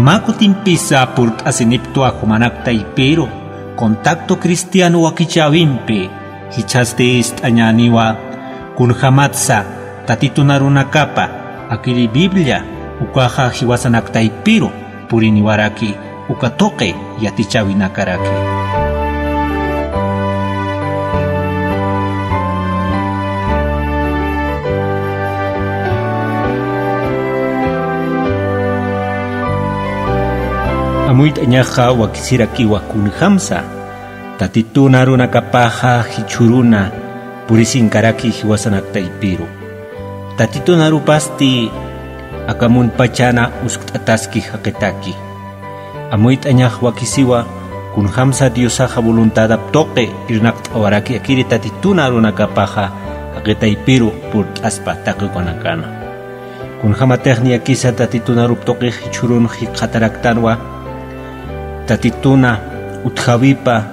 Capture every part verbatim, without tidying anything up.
Mä kutimpisa purt'asiniptwa jumanak taypiru contacto cristiano wakichäwimpi, jichhasti ist'añäniwa kunjamatsa Tatitun arunakapa akiri Biblia ukaxa jiwasanak taypiru puriniwaraki uka tuqi yatichäwinakaraki. Amuyt'añaxa wakisirakiwa kunjamsa Tatitun arunakapaxa jichhüruna purisinkaraki jiwasanak taypiru. Tatitun arupasti aka muntpachana uskt'ataski jaqitaki. Amuyt'añax wakisiwa kunjamsa Diosaxa voluntadap tuqi irnaqt'awaraki akiri Tatitun arunakapaxa jaqi taypiru purt'aspa taqi ukanakana. Kunjamatix niyakisa Tatitun arup tuqix jichhürun jikxataraktanwa, Tatituna utjawipa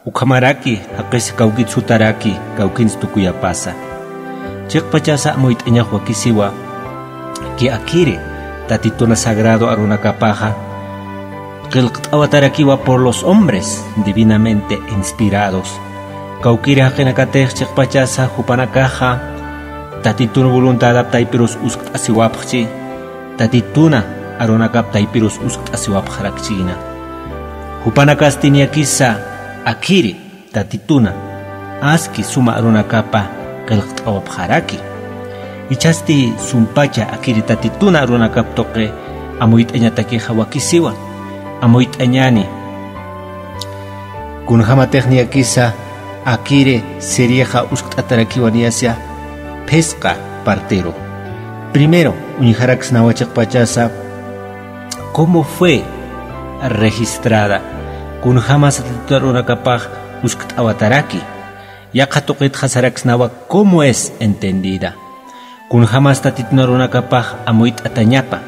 ukhamaraki jaqis kawkit sutaraki kawkins tukuyapasa. Chiqpachasa amuyt'añax wakisiwa ki akiri Tatituna sagrado arunakapaxa qillqt'awatarakiwa por los hombres divinamente inspirados. Kawkiri jaqinakatix chiqpachasa jupanakaxa Tatitun voluntadap taypirus uskt'asiwapxchi, Tatituna arunakap taypirus uskt'asiwapxarakchïna. Jupanakasti niyakisa akiri Tatituna aski suma arunakapa qillqt'awapxaraki. Jichhasti sumpacha akiri Tatituna arunakap tuqi amuyt'añatakixa wakisiwa. Amuyt'añäni kunjamatix niyakisa akiri serixa uskt'atarakiwa niyasa phisqa partiru. Primero uñjaraksnawa chiqpachasa cómo fue registrada, kunjamasa Tatitun arunakapax uskt'awataraki. Yaqha tuqitxa saraksnawa cómo es entendida, kunjamas Tatitun arunakapax amuyt'atañapa,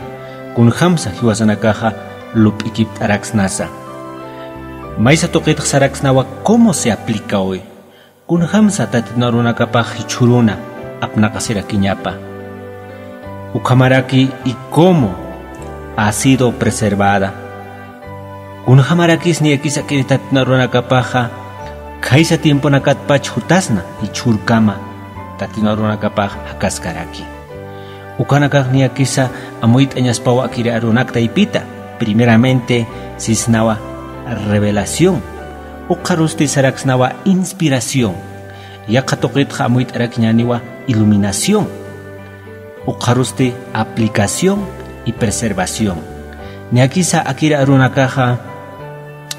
kunjamsa jiwasanakaxa lup'ikipt'araksnasa. Maysa tuqitxa saraksnawa cómo se aplica hoy, kunjamsa Tatitun arunakapax jichhüruna apnaqasirakiñapa. Ukhamaraki y cómo ha sido preservada. Kunjamarakis niyakisa akiri Tatitun arunakapaxa khaysa tiemponakatpach jutasna jichhürkama Tatitun arunakapax jakaskaraki. Ukanakax niyakisa amuyt'añaspawa akiri arunak taypita. Primeramente sisnawa revelación. Ukxarusti saraksnawa inspiración. Yaqha tuqitxa amuyt'arakiñäniwa iluminación. Ukxarusti aplicación y preservación. Niyakisa akiri arunakaxa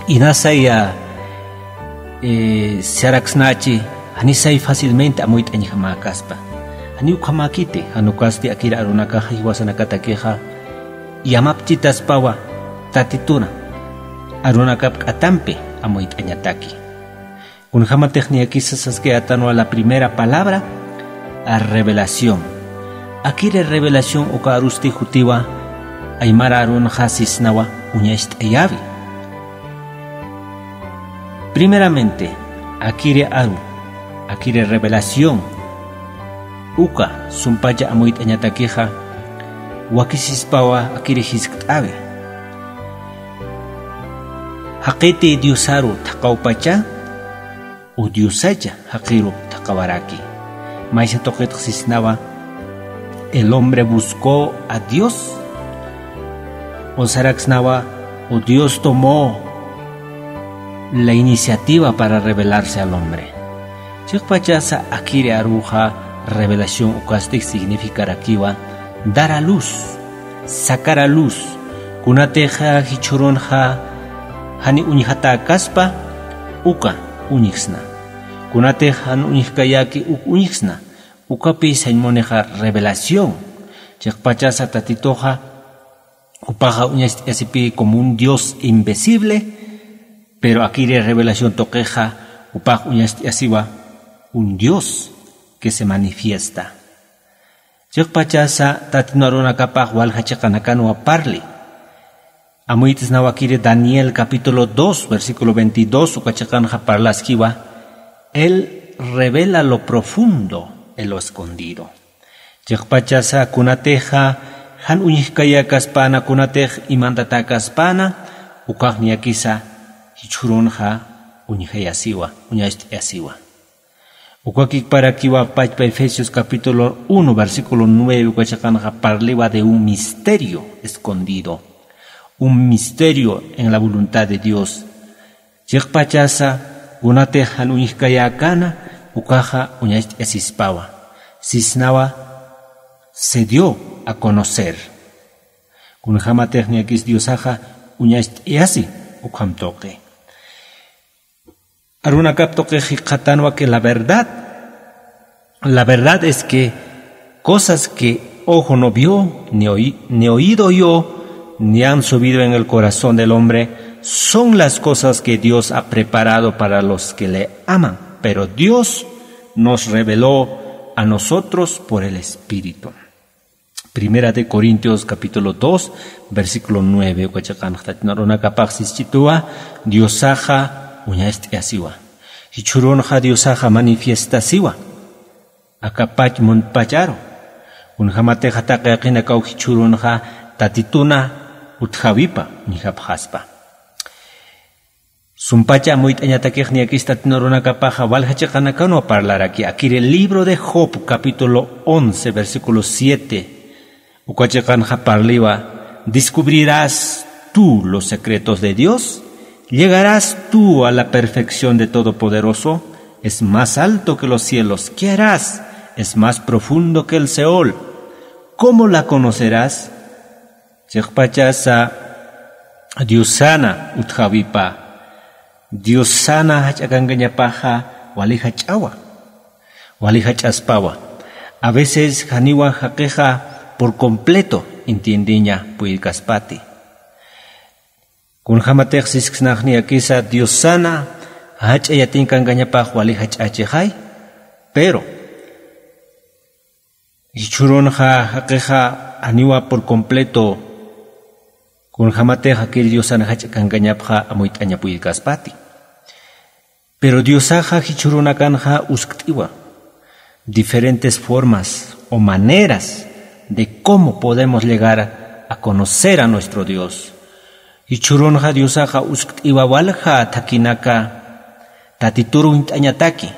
inasaya eh, saraksnachi, janisay fácilmente amuyt'añjamäkaspa. Janiw ukhamäkiti, jan ukasti akiri arunakaxa jiwasanakatakixa yamapchitaspawa Tatituna arunakap k'atampi amuyt'añataki. Kunjamatix niyakisa saskayätanwa la primera palabra, a revelación. Akiri revelación uka arusti jutiwa aymara arunxa sisnawa uñacht'ayäwi. Primeramente, akiri aru, akiri revelación uka sumpacha amuyt'añatakixa wakisispawa akiri jiskt'äwi. Jaqiti Diosaru thaqhawpacha o Diosacha jaqirup thaqhawaraki. Maysa tuqitx sisnawa, el hombre buscó a Dios. O saraksnawa, o Dios tomó la iniciativa para revelarse al hombre. Chiqpachasa akiri aruxa revelación ukasti significarakiwa dar a luz, sacar a luz. Kunatixa jichhürunxa jani uñjatäkaspa uka uñjsna. Kunatix jan uñjkayäki uk uñjsna. Ukapi sañ munixa revelación. Chiqpachasa Tatituxa jupaxa uñacht'ayasipï como un Dios invisible, pero akiri revelación tuqixa jupax uñacht'ayasiwa un Dios que se manifiesta. Chiqpachasa Tatitun arunakapax walja chiqanakanwa parli. Amuyt'snawa akiri Daniel capítulo dos, versículo veintidós, uka chiqanxa parlaskiwa, Él revela lo profundo en lo escondido. Chiqpachasa kunatixa Jan uñjkayäkaspana kunatix imantatäkaspana, ukax niyakisa jichhürunxa uñjayasiwa, uñacht'ayasiwa. Ukakikparakiwa pachpa Efesios capítulo uno, versículo nueve, uka chiqanxa parliwa de un misterio escondido, un misterio en la voluntad de Dios. Chiqpachasa kunatix jan uñjkayäkana, ukaxa uñacht'ayasispawa. Sisnawa se dio a conocer. Kunjämatix niyakis Diosaxa uñacht'ayasi ukham tuqi. Arunakap tuqix jikxatanwa que la verdad, la verdad es que cosas que ojo no vio, ni oí-, ni oído oyó, ni han subido en el corazón del hombre, son las cosas que Dios ha preparado para los que le aman. Pero Dios nos reveló a nosotros por el Espíritu. Primera de Corintios capítulo dos, versículo nueve, uka chiqanxa Tatitu arunakapax sischituwa, Diosaxa uñacht'ayasiwa. Jichhürunxa Diosaxa manifiestasiwa. Aka pach muntpacharu. Kunjämatixa taqi jaqinakaw jichhürunxa Tatituna utjawipa uñjapxaspa. Sumpacha amuyt'añatakix niyakis Tatitu arunakapaxa walja chiqanakanwa parlaraki. Akiri libro de Job, capítulo once, versículo siete. Uka chiqanxa parliwa: ¿Descubrirás tú los secretos de Dios? ¿Llegarás tú a la perfección de Todopoderoso? Es más alto que los cielos. ¿Qué harás? Es más profundo que el Seol. ¿Cómo la conocerás? Chiqpachasa Diosana utjawipa, Diosana jach'akankañapaxa wali jach'awa, wali jach'aspawa. A veces janiwa jaqixa por completo entiendeña puyirkaspati. Kunjämatix sisksnax niyakisa Diosana jach'a yatinkankañapax wali jach'achixay, pero jichhürunxa jaqixa janiwa por completo, kunjämatix jakir Diosan jach'a kankañapxa amuyt'aña puyirkaspati. Pero Diosaxa jichhürunakanxa uskt'iwa diferentes formas o maneras de cómo podemos llegar a conocer a nuestro Dios. Jichhürunxa Diosaxa uskt'iwa walja thakhinaka Tatitur uñt'añataki.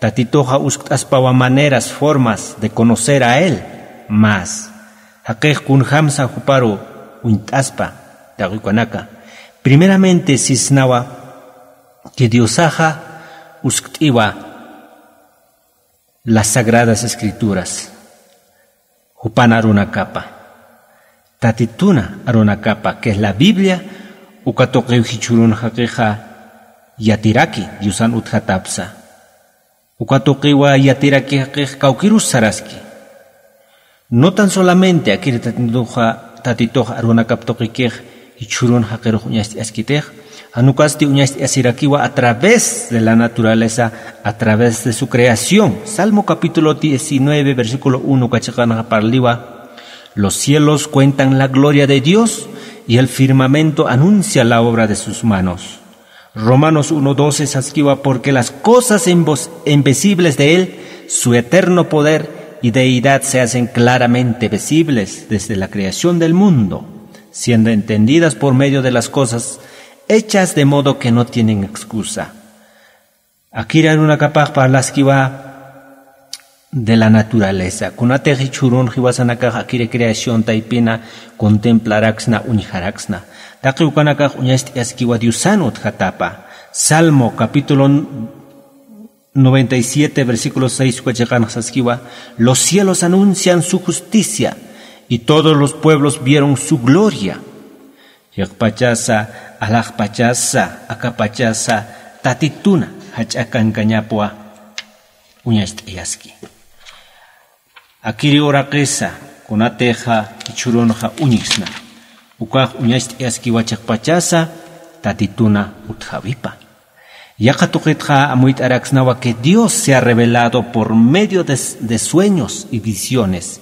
Tatituxa uskt'aspawa maneras, formas de conocer a Él más. Jaqix kunjamsa juparu uñt'aspa, taqi ukanaka. Primeramente sisnawa que Diosaxa uskt'iwa las Sagradas Escrituras, jupan arunakapa, Tatituna arunakapa, que es la Biblia, uka tuqiw jichhürun jaqixa yatiraki Diosan utjatapsa. Uka tuqiwa yatiraki jaqix kawkirus saraski. No tan solamente akir Tatituxa, Tatitux arunakap tuqikix jichhürun jaqirux uñacht'askitix, jan ukasti uñacht'asirakiwa a través de la naturaleza, a través de su creación. Salmo capítulo diecinueve, versículo uno, uka chiqanxa parliwa: Los cielos cuentan la gloria de Dios, y el firmamento anuncia la obra de sus manos. Romanos uno doce saskiwa: Porque las cosas invos-, invisibles de Él, su eterno poder y deidad se hacen claramente visibles desde la creación del mundo, siendo entendidas por medio de las cosas hechas, de modo que no tienen excusa. Akir arunakapax parlaskiwa de la naturaleza. Kunatix jichhürun jiwasanakax akir creación taypina contemplaraksna, uñjaraksna. Taqi ukanakax uñacht'askiwa Diosan utjatapa. Salmo capítulo noventa y siete, versículo seis, uka chiqanxa saskiwa: Los cielos anuncian su justicia, y todos los pueblos vieron su gloria. Chiqpachasa, alaxpachasa, akapachasa, Tatituna jach'a kankañapwa uñacht'ayaski. Akiri uraqisa, kunatixa jichhürunxa uñjsna, ukax uñacht'ayaskiwa chiqpachasa Tatituna utjawipa. Yaqha tuqitxa amuyt'araksnawa que Dios se ha revelado por medio de, de sueños y visiones.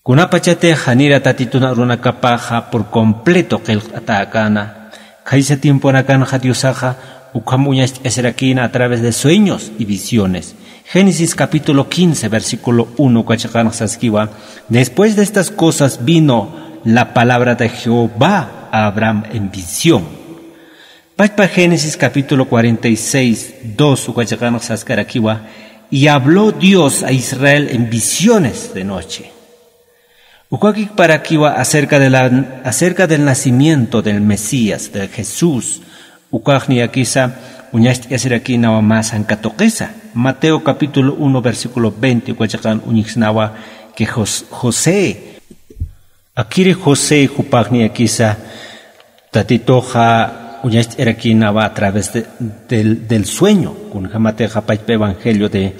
Kunapachatix janira Tatitun arunakapaxa por completo qillqt'atäkäna, khaysa tiemponakanxa Diosaxa ukham uñacht'asirakïna a través de sueños y visiones. Génesis capítulo quince, versículo uno, uka chiqanx saskiwa: "Después de estas cosas vino la palabra de Jehová a Abraham en visión". Pachpa Génesis capítulo cuarenta y seis, dos, uka chiqanx saskarakiwa: "Y habló Dios a Israel en visiones de noche". Ukakikparakiwa acerca de la, acerca del nacimiento del Mesías, de Jesús. Ukax niyakisa uñacht'asirakïnawa mä sankatuqisa. Mateo capítulo uno, versículo veinte, uka chiqan uñjsnawa que Jos-, José. Akiri José jupax niyakisa Tatituxa uñacht'arakïnawa a través de, del, del sueño. Kunjamatixa pachpa evangelio de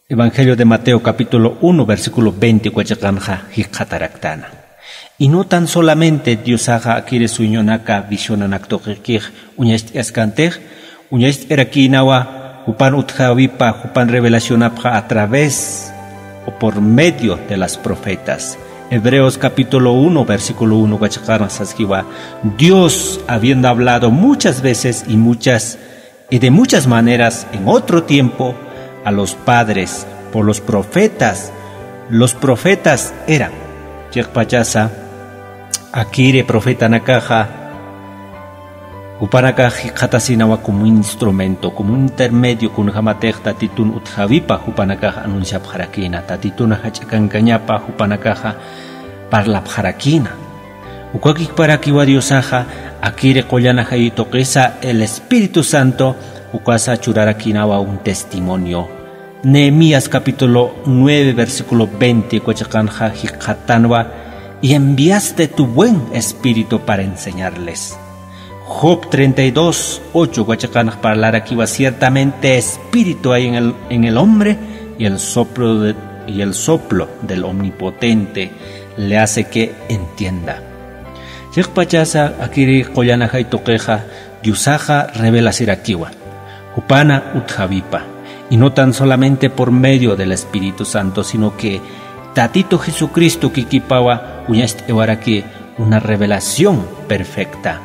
Evangelio de Mateo capítulo uno, versículo veinte, uka chiqanxa jikxataraktäna. Y no tan solamente Diosaxa akiri sueñonaka, visionanak tuqikix uñacht'askantix, uñacht'arakïnawa jupan utjawipa, jupan revelacionapxa a través o por medio de las profetas. Hebreos capítulo uno, versículo uno, uka chiqanx saskiwa: "Dios, habiendo hablado muchas veces y muchas y de muchas maneras en otro tiempo a los padres por los profetas". Los profetas eran, chiqpachasa, akiri profetanakaxa, jupanakax jikxatasinawa como un instrumento, como un intermedio, kunjamatix Tatitun utjawipa jupanakax anunciapxarakïna, Tatitun jach'a kankañapa jupanakaxa parlapxarakïna. Ukakikparakiwa Diosaxa akiri qullan ajay tuqisa el Espíritu Santo, ukasa churarakïnawa un testimonio. Nehemías capítulo nueve, versículo veinte, uka chiqanxa jikxatanwa: "Y enviaste tu buen espíritu para enseñarles". Job treinta y dos, ocho, uka chiqanx parlarakiwa: "Ciertamente espíritu hay en el, en el hombre, y el soplo de, y el soplo del Omnipotente le hace que entienda". Chiqpachasa akiri qullan ajay tuqixa Diosaxa revelasirakiwa jupana utjawipa, y no tan solamente por medio del Espíritu Santo, sino que Tatitu Jesucristo kikipawa uñacht'awaraki una revelación perfecta.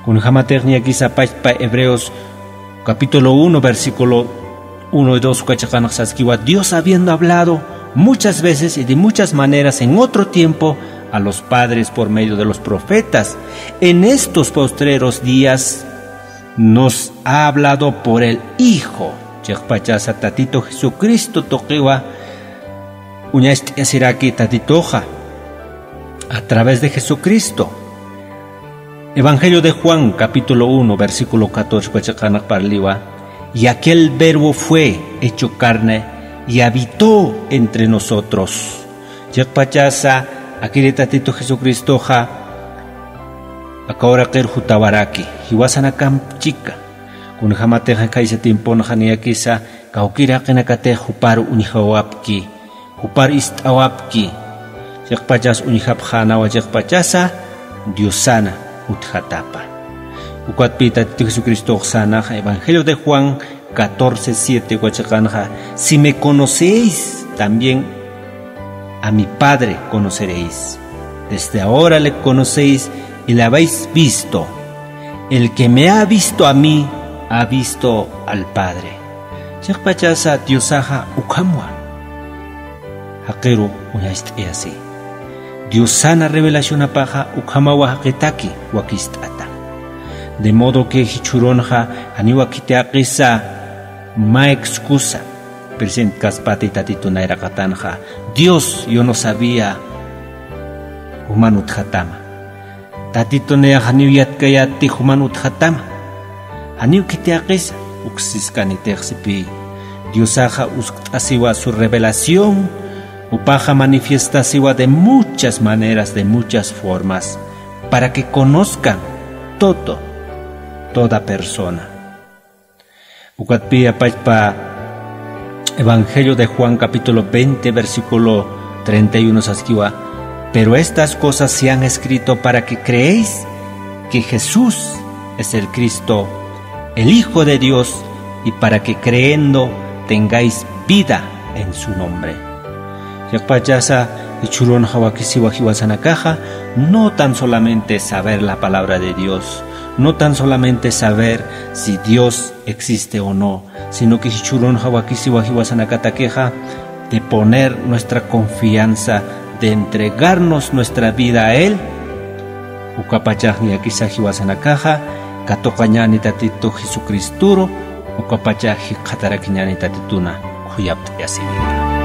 Kunjamatix niyakisa pachpa Hebreos capítulo uno, versículo uno y dos, uka chiqanx saskiwa: "Dios, habiendo hablado muchas veces y de muchas maneras en otro tiempo a los padres por medio de los profetas, en estos postreros días nos ha hablado por el Hijo". Chiqpachasa Tatitu Jesucristo tuqiwa uñacht'asiraki Tatituxa a través de Jesucristo. Evangelio de Juan, capítulo uno, versículo catorce, uka chiqanx parliwa: "Y aquel Verbo fue hecho carne y habitó entre nosotros". Chiqpachasa akiri Tatitu Jesucristoxa aka uraqir jutawaraki, jiwasanakamp chika. Kunjamatixa khaysa tiemponxa niyakisa kawkïr jaqinakatix jupar uñjawapki, jupar ist'awapki. Chiqpachas uñjapxänawa, chiqpachasa Diosana utjatapa. Ukatpï Tatitu Jesucristox sänaxa Evangelio de Juan catorce siete, uka chiqanxa: "Si me conocéis, también a mi Padre conoceréis. Desde ahora le conocéis y le habéis visto. El que me ha visto a mí, ha visto al Padre". Chiqpachasa Diosaxa ukhamwa jaqiru uñacht'ayasi. Diosana revelacionapaxa ukhamawa jaqitaki wakist'ata. De modo que jichhürunxa janiwa khitiyaqisa mä excusa presentkaspati Tatitun nayraqatanxa: "Dios, yo no sabía juman utjatama. Tatitun nayax janiw yatkayätti juman utjatama. Janiw khitiyaqisa", uksiskanitix sipï. Diosaxa uskt'asiwa su revelación, jupaxa manifiestasiwa de muchas maneras, de muchas formas, para que conozcan todo, toda persona. Ukatpï pachpa Evangelio de Juan capítulo veinte, versículo treinta y uno saskiwa: "Pero estas cosas se han escrito para que creéis que Jesús es el Cristo, el Hijo de Dios, y para que creyendo tengáis vida en su nombre". Chiqpachasa jichhürunxa wakisiwa jiwasanakaxa, no tan solamente saber la palabra de Dios, No tan solamente saber si Dios existe o no, sino que jichhürunxa wakisiwa jiwasanakatakixa de poner nuestra confianza, de entregarnos nuestra vida a Él. Ukapachax niyakisa jiwasanakaxa katuqañäni Tatitu Jesucristuru, ukapachax jikxatarakiñäni Tatituna khuyapt'ayasipï.